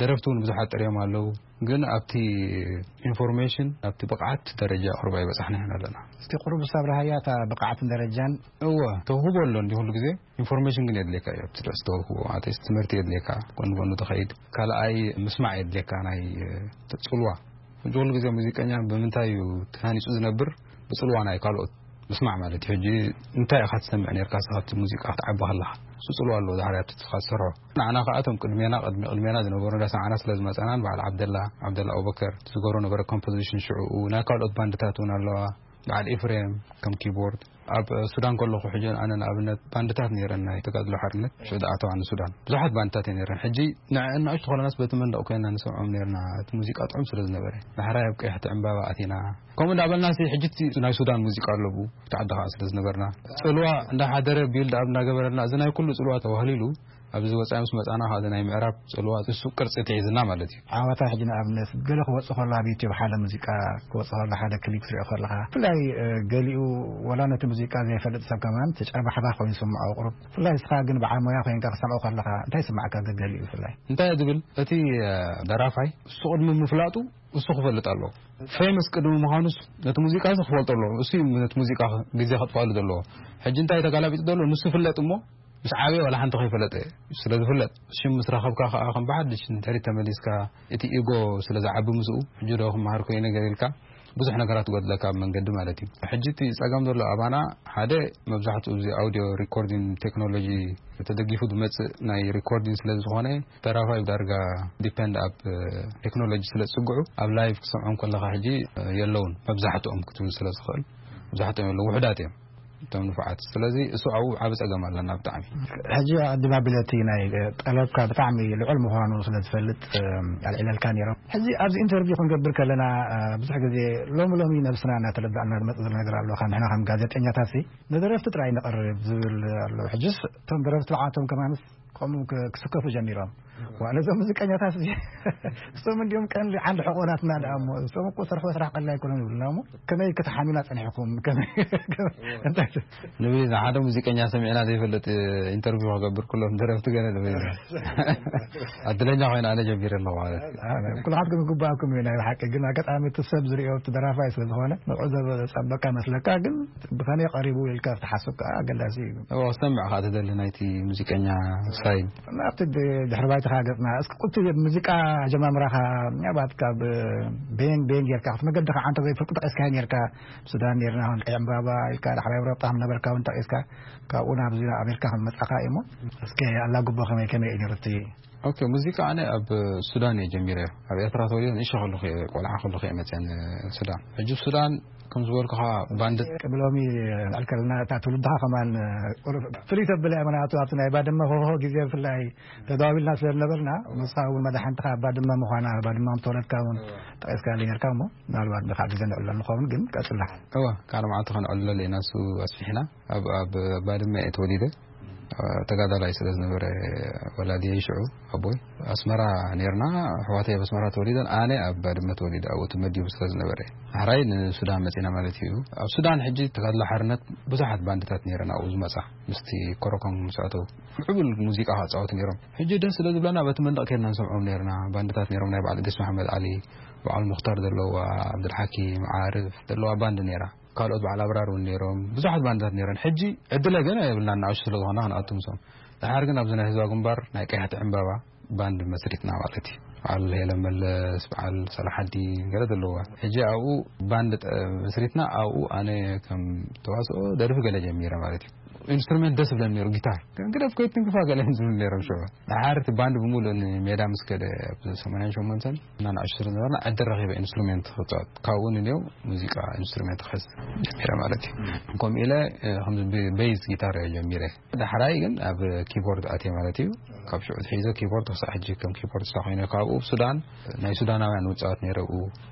ደረፍቲ እውን ብዙሓት ጥርዮም ኣለዉ። ግን ኣብቲ ኢንፎርሜሽን፣ ኣብቲ ብቕዓት ደረጃ ቁሩብ ኣይበጻሕናን ኣለና። እስቲ ቁሩብ ሳብርሃያ እታ ብቕዓትን ደረጃን። እወ፣ ተውህቦ ኣሎ እንዲ ኩሉ ግዜ። ኢንፎርሜሽን ግን የድልየካ እዩ። ኣብቲ ድረስ ተውህቦ ማለት ትምህርቲ የድልየካ፣ ጎን ጎኑ ትኸይድ። ካልኣይ ምስማዕ የድልየካ፣ ናይ፣ እ፣ ጽልዋ። ሕጂ ኩሉ ግዜ ሙዚቀኛ ብምንታይ እዩ ተሃኒጹ ዝነብር? ብጽልዋ ናይ ካልኦት ምስማዕ ማለት እዩ። ሕጂ እንታይ ኢኻ ትሰምዕ ነርካ እስኻ ኣብቲ ሙዚቃ ክትዓቢ ከለኻ? እሱ ጽልዋ ኣለዎ ዳሕሪ ኣብቲ እስኻ ትሰርሖ። ንዓና ከኣ እቶም ቅድሜና፣ ቅድሚ፣ ቅድሜና ዝነበሩ እንዳሰማዕና ስለ ዝመጸናን በዓል ዓብደላ፣ ዓብደላ ኣቡበከር ዝገብሮ ነበረ ኮምፖዚሽን ሽዑኡ፣ ናይ ካልኦት ባንድታት እውን ኣለዋ። በዓል ኤፍሬም ከም ኪቦርድ። ኣብ ሱዳን ከለኹ ሕጂ ኣነ ንኣብነት ባንድታት ነይረን ናይ ተጋድሎ ሓርነት ሽዑ ዝኣተዋ ንሱዳን ብዙሓት ባንድታት እየ ነይረን። ሕጂ ንዕእን ንኣሽቱ ኮለናስ በቲ መንደቕ ኮይና ንሰምዖም ነርና። እቲ ሙዚቃ ጥዑም ስለ ዝነበረ ዳሕራይ ኣብ ቀያሕቲ ዕምባባ ኣቲና። ከምኡ እንዳበልና ሲ ሕጂ እቲ ናይ ሱዳን ሙዚቃ ኣለቡ እቲ ዓዲ ከዓ ስለ ዝነበርና ጽልዋ እንዳሓደረ ቢልድ ኣብ እንዳገበረልና እዚ ናይ ኩሉ ጽልዋ ተባህሊሉ ኣብዚ ወፃኢ ምስ መፃና ከዓ ናይ ምዕራብ ፅልዋ እሱ ቅርፂ ተሒዝና ማለት እዩ። ዓወታ ሕጂ ንኣብነት ገለ ክወፅእ ከሎ ኣብ ዩቲብ ሓደ ሙዚቃ ክወፅእ ከሎ ሓደ ክሊፕ ትሪኦ ከለካ ብፍላይ ገሊኡ ወላ ነቲ ሙዚቃ ዘይፈልጥ ሰብ ከማን ተጨርባሕባ ኮይኑ ስምዖ ቁሩብ ብፍላይ እስኻ ግን በዓል ሞያ ኮይንካ ክሰምዖ ከለካ እንታይ ስማዕካ ገገሊኡ ብፍላይ እንታይ ዝብል እቲ ደራፋይ እሱ ቅድሚ ምፍላጡ እሱ ክፈልጥ ኣለዎ። ፌመስ ቅድሚ ምዃኑስ ነቲ ሙዚቃ እዚ ክፈልጦ ኣለዎ። እሱ ነቲ ሙዚቃ ግዜ ከጥፋሉ ዘለዎ። ሕጂ እንታይ ተጋላቢጡ ዘሎ ንሱ ይፍለጥ እሞ ምስ ዓበየ ዋላ ሓንቲ ከይፈለጠ ስለ ዝፍለጥ ሽም ምስ ረኸብካ ከዓ ከም ብሓድሽ ንድሕሪት ተመሊስካ እቲ ኢጎ ስለ ዝዓቢ ምስኡ ሕጂ ዶ ክመሃር ኮይነ ገለ ኢልካ ብዙሕ ነገራት ትጎድለካ ኣብ መንገዲ ማለት እዩ። ሕጂ እቲ ፀገም ዘሎ ኣባና ሓደ መብዛሕትኡ እዚ ኣውዲዮ ሪኮርዲን ቴክኖሎጂ ተደጊፉ ዝመፅእ ናይ ሪኮርዲን ስለ ዝኾነ ተራፋይ ዳርጋ ዲፐንድ ኣብ ቴክኖሎጂ ስለ ዝፅግዑ ኣብ ላይቭ ክሰምዖም ከለካ ሕጂ የለውን መብዛሕትኦም ክትብል ስለ ዝኽእል መብዛሕትኦም የለው ውሕዳት እዮም እቶም ንፉዓት። ስለዚ እሱ ኣብኡ ዓቢ ጸገም ኣለና ብጣዕሚ። ሕጂ ኣዲማ ቢለቲ ናይ ጠለብካ ብጣዕሚ ልዑል ምዃኑ ስለ ዝፈልጥ ኣልዒለልካ ነይሮም። ሕጂ ኣብዚ ኢንተርቪው ክንገብር ከለና ብዙሕ ግዜ ሎሚ ሎሚ ነብስና እናተረዳእና ዝመጽእ ዘሎ ነገር ኣሎ። ካብ ንሕና ከም ጋዜጠኛታት ሲ ንደረፍቲ ጥራይ ነቕርብ ዝብል ኣሎ። ሕጅስ እቶም ደረፍቲ ብዓቶም ከማንስ ከምኡ ክ- ክስከፉ ጀሚሮም። ዋ ነዞም ሙዚቀኛታት እዚ እሶም እንዲኦም ቀንዲ ዓንዲ ሕቆናትና ደኣ እሞ እሶም እኮ ሰርሖ ስራሕ ቀሊል ኣይኮነን ይብሉና እሞ ከመይ ከተሓኑና ጸኒሕኩም ከመይ ከመይ- እንታይ ት- ንብል ኢና ሓደ ሙዚቀኛ ሰሚዕና ዘይፈልጥ ኢንተርቪው ክገብር ኩሎም ደረፍቲ ገለ ንብል ኢና ኣድለኛ ኮይነ ኣነ ጀሚረ ኣለኹ ማለት እዩ። ኩልኻትኩም ይግባኣኩም እዩ ናይ ብሓቂ ግን ኣጋጣሚ እቲ ሰብ ዝሪኦ እቲ ደራፋይ ስለ ዝኾነ ንዕኡ ዘጸበካ መስለካ ግን ብኸመይ ቀሪቡ ኢልካ ክትሓስብ ከዓ ኣገዳሲ እዩ። እዎ ክሰምዕ ከዓ ትደሊ ናይቲ ሙዚቀኛ ስታይል ናብቲ ድሕሪ ባይትኻ ገጽና እስኪ ቁልቲ ሙዚቃ ጀማምራኻ ምናልባት ካብ ቤን ቤን ጌርካ ክቲ መገዲ ከዓ እንተ ዘይፈልኩ ጠቂስካ ኔርካ ሱዳን ኔርና ኹን ቀይ ዕምባባ ኢልካ ዳሕራይ ኤውሮጳ ከም ነበርካ እውን ጠቂስካ ካብኡ ናብዚ ኣሜሪካ ከም መጻኻ እዩ እሞ እስኪ ኣላጉቦ ከመይ ከመይ እዩ ነይሩ እቲ ኦኬ ሙዚቃ ኣነ ኣብ ሱዳን እየ ጀሚረ ኣብ ኤርትራ ተወሊደ ንእሽቶ ከለኹ እየ ቆልዓ ከለኹ እየ መፅአ ሱዳን ሕጂ ሱዳን ከም ዝበልኩኻ ባንድ ቅድሚ ሎሚ ንዕልከልና እታ ትውልድኻ ከማን ፍልይ ተብለ እያ ምክንያቱ ኣብቲ ናይ ባድመ ኮኾ ግዜ ብፍላይ ተደዋዊልና ስለ ዝነበርና ንስኻ እውን መድሓንትኻ ባድመ ምዃና ባድመ ከም ተወለድካ እውን ጠቂስካ ነርካ እሞ ምናልባት ንካዕ ግዜ ንዕሎ ንኸውን ግን ቀፅላ እወ ካልእ መዓልቲ ከነዕልለሉ ኢና እሱ ኣስፊሕና ኣብ ኣብ ባድመ እየ ተወሊደ ተጋዳላይ ስለ ዝነበረ ወላዲየይ ሽዑ ኣቦይ ኣስመራ ነርና ኣሕዋተይ ኣብ ኣስመራ ተወሊደን ኣነ ኣብ ባድመ ተወሊደ ኣብኡ ተመዲቡ ስለ ዝነበረ ሕራይ ንሱዳን መፂና ማለት እዩ ኣብ ሱዳን ሕጂ ተጋድሎ ሓርነት ብዙሓት ባንድታት ነረን ኣብኡ ዝመፃ ምስቲ ኮረኮም ምስ ኣተው ምዕቡል ሙዚቃ ክፃወቱ ነይሮም ሕጂ ደስ ስለ ዝብለና በቲ መንደቕ ከድና ንሰምዖም ነርና ባንድታት ነሮም ናይ በዓል እድሪስ መሓመድ ዓሊ በዓል ሙክታር ዘለዋ ዓብዱልሓኪም ዓርፍ ዘለዋ ባንድ ነራ ካልኦት በዓል ኣብራር እውን ነይሮም ብዙሓት ባንድታት ነይረን ሕጂ ዕድለ ገና የብልና እናኣሹ ስለ ዝኾና ክንኣቱ ምሶም ድሓር ግን ኣብዚ ናይ ህዝባ ግንባር ናይ ቀያሕቲ ዕምባባ ባንድ መስሪትና ማለት እዩ በዓል ሄለ መለስ በዓል ሰላሓዲ ገለ ዘለዋ ሕጂ ኣብኡ ባንድ መስሪትና ኣብኡ ኣነ ከም ተዋስኦ ደርፊ ገለ ጀሚረ ማለት እዩ ኢንስትሩመንት ደስ ብለን ነሩ ጊታር ግን ግደፍ ከይትንክፋ ገለ ዝብል ነሮም ሸ ድሓር እቲ ባንድ ብምሉእ ንሜዳ ምስ ከደ ኣብ ሰማንያ ሸሞንተን እና ንኣሽቱ ዝነበርና ዕድል ረኺበ ኢንስትሩሜንት ክፃወት ካብኡ ንኔው ሙዚቃ ኢንስትሩሜንት ክሕዝ ጀሚረ ማለት እዩ ከምኡ ኢለ ከምዚ ቤዝ ጊታር እየ ጀሚረ ዳሕራይ ግን ኣብ ኪቦርድ ኣትየ ማለት እዩ ካብ ሽዑ ሒዘ ኪቦርድ ክሳዕ ሕጂ ከም ኪቦርድ ስታ ኮይነ ካብኡ ሱዳን ናይ ሱዳናውያን ውፃወት ነይረ ብኡ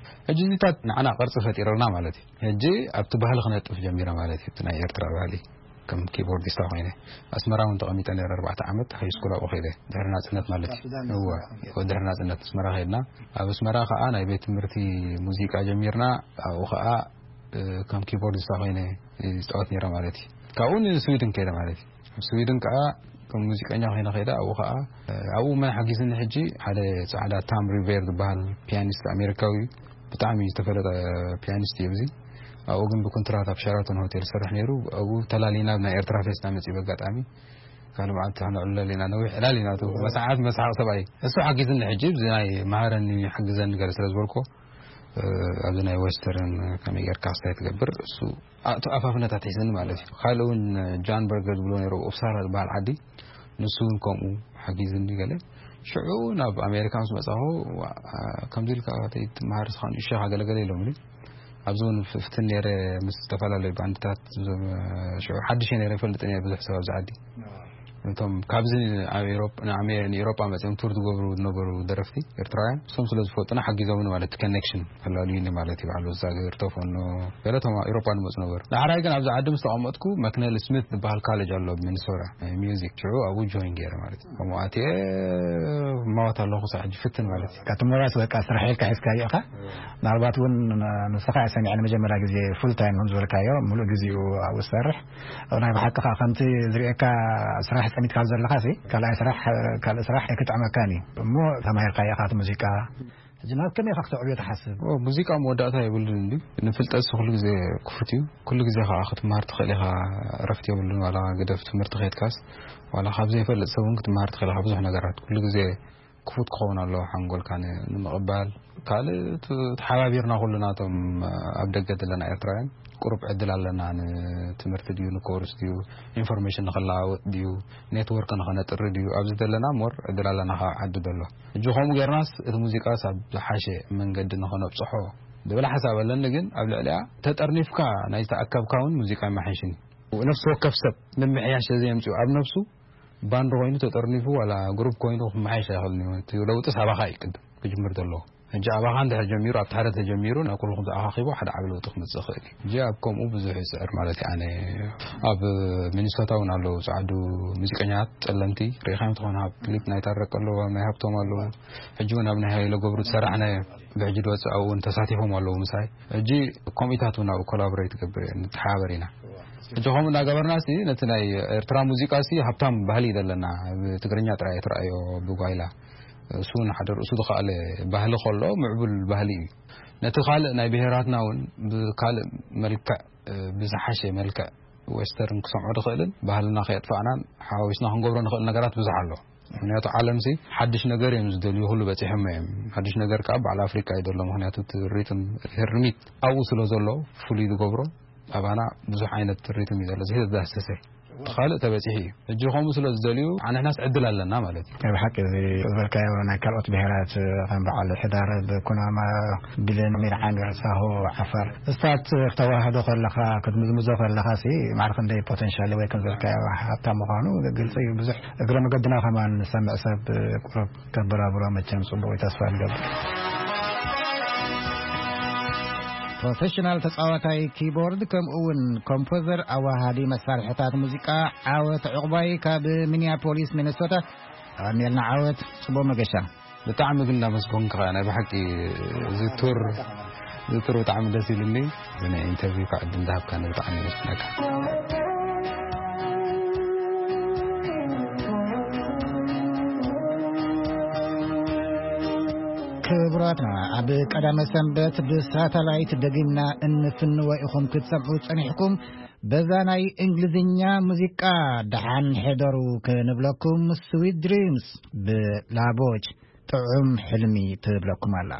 ሕጂ እዚታት ንዓና ቅርፂ ፈጢረልና ማለት እዩ ሕጂ ኣብቲ ባህሊ ክነጥፍ ጀሚረ ማለት እዩ ናይ ኤርትራ ባህሊ ከም ኪቦርዲስታ ኮይነ ኣስመራ እውን ተቐሚጠ ነረ ኣርባዕተ ዓመት ሃይ ስኩል ኣብኡ ከይደ ድሕሪ ናፅነት ማለት እዩ እወ ድሕሪ ናፅነት ኣስመራ ከይድና ኣብ ኣስመራ ከዓ ናይ ቤት ትምህርቲ ሙዚቃ ጀሚርና ኣብኡ ከዓ ከም ኪቦርዲስታ ኮይነ ዝፃወት ነረ ማለት እዩ ካብኡ ንስዊድን ከይደ ማለት እዩ ኣብ ስዊድን ከዓ ከም ሙዚቀኛ ኮይነ ከይደ ኣብኡ ከዓ ኣብኡ መን ሓጊዝኒ ሕጂ ሓደ ፃዕዳ ታም ሪቬር ዝበሃል ፒያኒስት ኣሜሪካዊ እዩ ብጣዕሚ ዝተፈለጠ ፒያኒስት እዩ እዚ ኣብኡ ግን ብኩንትራት ኣብ ሸራቶን ሆቴል ዝሰርሕ ነይሩ ኣብኡ ተላሊና ናይ ኤርትራ ፌስታ መፅእ በጋጣሚ ካልእ መዓልቲ ክንዕለል ኢና ነዊሕ ዕላል ኢና እቲ መሰሓት መስሓቅ ሰብኣይ እሱ ሓጊዝኒ ሕጂ እዚ ናይ መሃረኒ ሓግዘኒ ገለ ስለ ዝበልኮ ኣብዚ ናይ ዌስተርን ከመይ ጌርካ ክስታይ ትገብር እሱ ኣፋፍነታት ሒዝኒ ማለት እዩ ካልእ እውን ጃን በርገር ዝብሎ ነይሩ ኡፕሳላ ዝበሃል ዓዲ ንሱ እውን ከምኡ ሓጊዝኒ ገለ ሽዑ ናብ ኣሜሪካ ምስ መፃኹ ከምዚ ኢልካ ትመሃር ስኻ ንእሽኻ ገለገለ ኢሎምኒ ኣብዚ እውን ፍትን ነይረ ምስ ዝተፈላለዩ ባንድታት፣ እዞም ሽዑ ሓድሽ ነይረ ይፈልጥ ነይረ ብዙሕ ሰብ ኣብዚ ዓዲ። እቶም ካብዚ ኣብ ኤሮጳ ንኣሜ- ንኤሮጳ መጺኦም ቱር ዝገብሩ ዝነበሩ ደረፍቲ ኤርትራውያን እሶም ስለ ዝፈልጡና ሓጊዞምኒ ማለት ኮኔክሽን ተላልዩኒ ማለት እዩ። ባዕሉ እዛ ግርቶፎኖ ገለቶም ኤሮጳ ንመፁ ነበሩ። ዳሕራይ ግን ኣብዚ ዓዲ ምስ ተቐመጥኩ መክነል ስሚት ዝበሃል ካሌጅ ኣሎ ኣብ ሚኒሶታ፣ ሚውዚክ ሽዑ ኣብኡ ጆይን ገይረ ማለት እዩ። ከምኡ ኣትየ ማወት ኣለኹ ሳዕ ሕጂ ፍትን ማለት እዩ። ካብቲ ሞራስ በቃ ስራሕ ኢልካ ሒዝካዮ ኢኻ። ምናልባት እውን ንስኻ እየ ሰሚዐ ንመጀመርያ ግዜ ፉል ታይም ከም ዝበልካዮ፣ ሙሉእ ግዜኡ ኣብኡ ዝሰርሕ። ናይ ብሓቂ ከዓ ከምቲ ዝርእየካ ስራሕ ጸሚድካ ዘለኻ ሲ፣ ካልኣይ ስራሕ፣ ካልእ ስራሕ ኣይክጥዕመካን እዩ። እሞ ተማሂርካዮ ኢኻ እቲ ሙዚቃ። ሕጂ ናብ ከመይ ኢኻ ክተዕብዮ ትሓስብ? ኦ፣ ሙዚቃ መወዳእታ የብሉን እንዲ። ንፍልጠት ኩሉ ግዜ ክፉት እዩ። ኩሉ ግዜ ከዓ ክትመሃር ትኽእል ኢኻ። እረፍት የብሉን። ዋላ ግደፍ ትምህርቲ ከይድካስ፣ ዋላ ካብ ዘይፈልጥ ሰብ እውን ክትመሃር ትኽእል ኢኻ ብዙሕ ነገራት። ኩሉ ግዜ ክፉት ክኸውን ኣለዎ ሓንጎልካ ን- ንምቕባል። ካልእ ት- ተሓባቢርና ኩሉ ናቶም ኣብ ደገ ዘለና ኤርትራውያን ቁሩብ ዕድል ኣለና። ንትምህርቲ ድዩ ንኮርስ ድዩ ኢንፎርሜሽን ንኽለዋወጥ ድዩ ኔትወርክ ንኸነጥሪ ድዩ ኣብዚ ዘለና ሞር ዕድል ኣለና ካብ ዓዲ ዘሎ። ሕጂ ከምኡ ጌርናስ እቲ ሙዚቃስ ኣብ ዝሓሸ መንገዲ ንኸነብፅሖ ዝብል ሓሳብ ኣለኒ። ግን ኣብ ልዕሊያ ተጠርኒፍካ ናይ ዝተኣከብካ እውን ሙዚቃ ይመሓይሽን እዩ። ነፍሲ ወከፍ ሰብ ምምሕያሽ ዘየምፅኡ ኣብ ነፍሱ ባንድ ኮይኑ ተጠርኒፉ ዋላ ግሩፕ ኮይኑ ክመሓየሽ ኣይኽእልን እዩ። እቲ ለውጢ ሳባኻ እዩ ቅድም ክጅምር ዘለዎ። ሕጂ ኣባኻ እንድሕር ጀሚሩ ኣብቲ ሓደ ተጀሚሩ ናብ ኩልኹም ተኣኻኺቡ ሓደ ዓቢ ለውጢ ክመፅእ ይኽእል እዩ። ሕጂ ኣብ ከምኡ ብዙሕ ይፅዕር ማለት እዩ። ኣነ ኣብ ሚኒሶታ እውን ኣለዉ ፃዕዱ ሙዚቀኛታት ፀለምቲ ርኢኻዮም ትኾን ኣብ ክሊፕ ናይ ታረቅ ኣለዉ ኣብ ናይ ሃብቶም ኣለዉ። ሕጂ እውን ኣብ ናይ ሃይለ ገብሩ ዝሰራሕናዮ ብሕጂ ድወፅእ ኣብኡ እውን ተሳቲፎም ኣለዉ ምሳይ። ሕጂ ኮሚታት እውን ኣብኡ ኮላቦሬት ገብር እየ ንተሓባበር ኢና። ሕጂ ከምኡ እናገበርና ሲ ነቲ ናይ ኤርትራ ሙዚቃ ሲ ሃብታም ባህሊ እዩ ዘለና። ብትግርኛ ጥራይ እየ ትረኣዮ ብጓይላ። እሱ እውን ሓደ ርእሱ ዝኸኣለ ባህሊ ከሎ ምዕቡል ባህሊ እዩ። ነቲ ካልእ ናይ ብሄራትና እውን ብካልእ መልክዕ ብዝሓሸ መልክዕ ዌስተርን ክሰምዖ ዝኽእልን ባህልና ከየጥፋእናን ሓዋዊስና ክንገብሮ ንኽእል ነገራት ብዙሕ ኣሎ። ምክንያቱ ዓለምሲ ሓድሽ ነገር እዮም ዝደልዩ። ኩሉ በፂሖሞ እዮም። ሓድሽ ነገር ከዓ በዓል ኣፍሪካ እዩ ዘሎ። ምክንያቱ እቲ ሪትም ህርሚት ኣብኡ ስለ ዘሎ ፍሉይ ዝገብሮ ኣባና ብዙሕ ዓይነት ሪትም እዩ ዘሎ። እዚ ተዳሰሰ ካልእ ተበፂሑ እዩ። ሕጂ ከምኡ ስለ ዝደልዩ ኣንሕናስ ዕድል ኣለና ማለት እዩ። ናይ ብሓቂ እዚ ዝበልካዮ ናይ ካልኦት ብሄራት ከም በዓል ሕዳር ብኩናማ ቢልን ሚርዓን ሳሆ ዓፋር እስታት ክተዋህዶ ከለኻ ክትምዝምዞ ከለኻ ሲ ማዕረ ክንደይ ፖቴንሻል ወይ ከም ዝበልካዮ ሃብታም ምዃኑ ግልፂ እዩ። ብዙሕ እግረ መገድና ከማን ንሰምዕ ሰብ ቁሩብ ከበራብሮ መቸም ጽቡቕ እዩ፣ ተስፋ ንገብር። ፕሮፌሽናል ተጻዋታይ ኪቦርድ ከምኡ እውን ኮምፖዘር ኣዋሃዲ መሳርሕታት ሙዚቃ ዓወት ዕቑባይ ካብ ሚኒያፖሊስ ሚኒሶታ። ኣሜልና ዓወት ጽቡቕ መገሻ። ብጣዕሚ ግን እንዳመስገንኩ ከኣ ናይ ብሓቂ ዝቱር ዝቱር ብጣዕሚ ደስ ኢሉኒ። እዚ ናይ ኢንተርቪው ከዓ ዕድል እንዳሃብካኒ ብጣዕሚ የመስግነካ። ክቡራትና፣ ኣብ ቀዳመ ሰንበት ብሳተላይት ደጊምና እንፍንዎ ኢኹም ክትሰምዑ ጸኒሕኩም። በዛ ናይ እንግሊዝኛ ሙዚቃ ደሓን ሕደሩ ክንብለኩም፣ ስዊት ድሪምስ ብላቦች ጥዑም ሕልሚ ትብለኩም ኣላ።